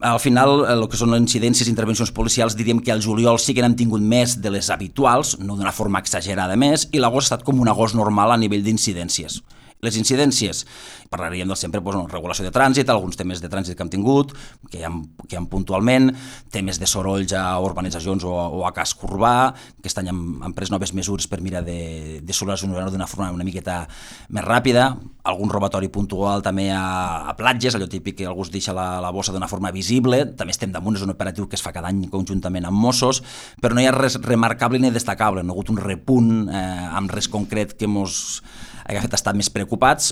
al final, el que són les incidències i intervencions policials, diríem que al juliol sí que n'hem tingut més de les habituals, no d'una forma exagerada més, i l'agost ha estat com un agost normal a nivell d'incidències. Les incidències, parlaríem del sempre, regulació de trànsit, alguns temes de trànsit que hem tingut, que hi ha puntualment, temes de sorolls a urbanitzacions o a casc urbà, que aquest any hem pres noves mesures per mirar de solucionar-ho d'una forma una miqueta més ràpida, algun robatori puntual també a platges, allò típic que algú es deixa la bossa d'una forma visible, també estem damunt, és un operatiu que es fa cada any conjuntament amb Mossos, però no hi ha res remarcable ni destacable, no ha hagut un repunt amb res concret que mos hagi fet estar més preocupats.